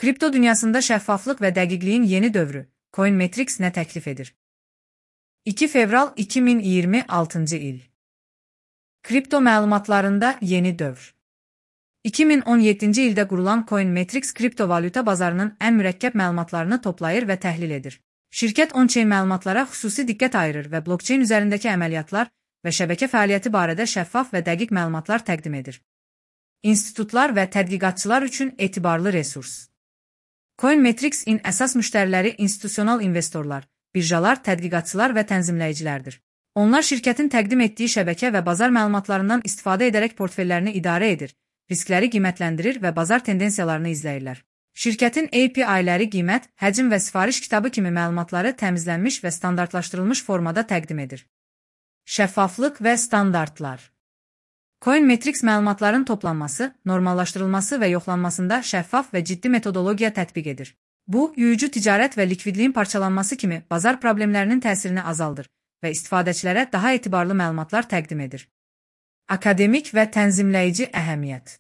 Kripto dünyasında şəffaflıq və dəqiqliyin yeni dövrü, Coinmetrics nə təklif edir? 2 fevral 2026 il. Kripto məlumatlarında yeni dövr. 2017-ci ildə qurulan Coinmetrics kriptovalyuta bazarının ən mürəkkəb məlumatlarını toplayır və təhlil edir. Şirkət on-chain məlumatlara xüsusi diqqət ayırır və blockchain üzərindəki əməliyyatlar və şəbəkə fəaliyyəti barədə şəffaf və dəqiq məlumatlar təqdim edir. İnstitutlar və tədqiqatçılar üçün etibarlı resurs. Coinmetrics-in əsas müştəriləri institusional investorlar, birjalar, tədqiqatçılar və tənzimləyicilərdir. Onlar şirkətin təqdim etdiyi şəbəkə və bazar məlumatlarından istifadə edərək portfellərini idarə edir, riskləri qiymətləndirir və bazar tendensiyalarını izləyirlər. Şirkətin API-ləri qiymət, həcm və sifariş kitabı kimi məlumatları təmizlənmiş və standartlaşdırılmış formada təqdim edir. Şəffaflıq və standartlar. Coinmetrics məlumatların toplanması, normallaşdırılması və yoxlanmasında şəffaf və ciddi metodologiya tətbiq edir. Bu, yuyucu ticarət və likvidliyin parçalanması kimi bazar problemlərinin təsirini azaldır və istifadəçilərə daha etibarlı məlumatlar təqdim edir. Akademik və tənzimləyici əhəmiyyət.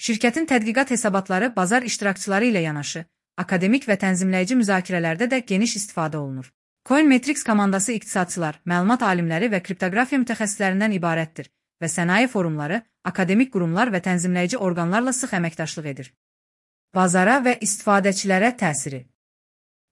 Şirkətin tədqiqat hesabatları bazar iştirakçıları ilə yanaşı, akademik və tənzimləyici müzakirələrdə də geniş istifadə olunur. Coinmetrics komandası iqtisadçılar, məlumat alimləri və kriptoqrafiya mütəxəssislərindən ibarətdir və sənaye forumları, akademik qurumlar və tənzimləyici orqanlarla sıx əməkdaşlıq edir. Bazara və istifadəçilərə təsiri.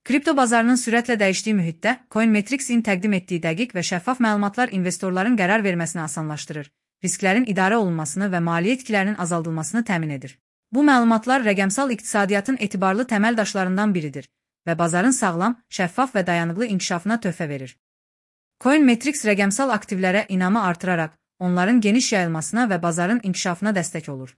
Kripto bazarının sürətlə dəyişdiyi mühitdə Coinmetrics-in təqdim etdiyi dəqiq və şəffaf məlumatlar investorların qərar verməsini asanlaşdırır, risklərin idarə olunmasını və maliyyə itkilərinin azaldılmasını təmin edir. Bu məlumatlar rəqəmsal iqtisadiyyatın etibarlı təməl daşlarından biridir və bazarın sağlam, şəffaf və dayanıqlı inkişafına töhfə verir. Coinmetrics rəqəmsal aktivlərə inamı artıraraq, onların geniş yayılmasına və bazarın inkişafına dəstək olur.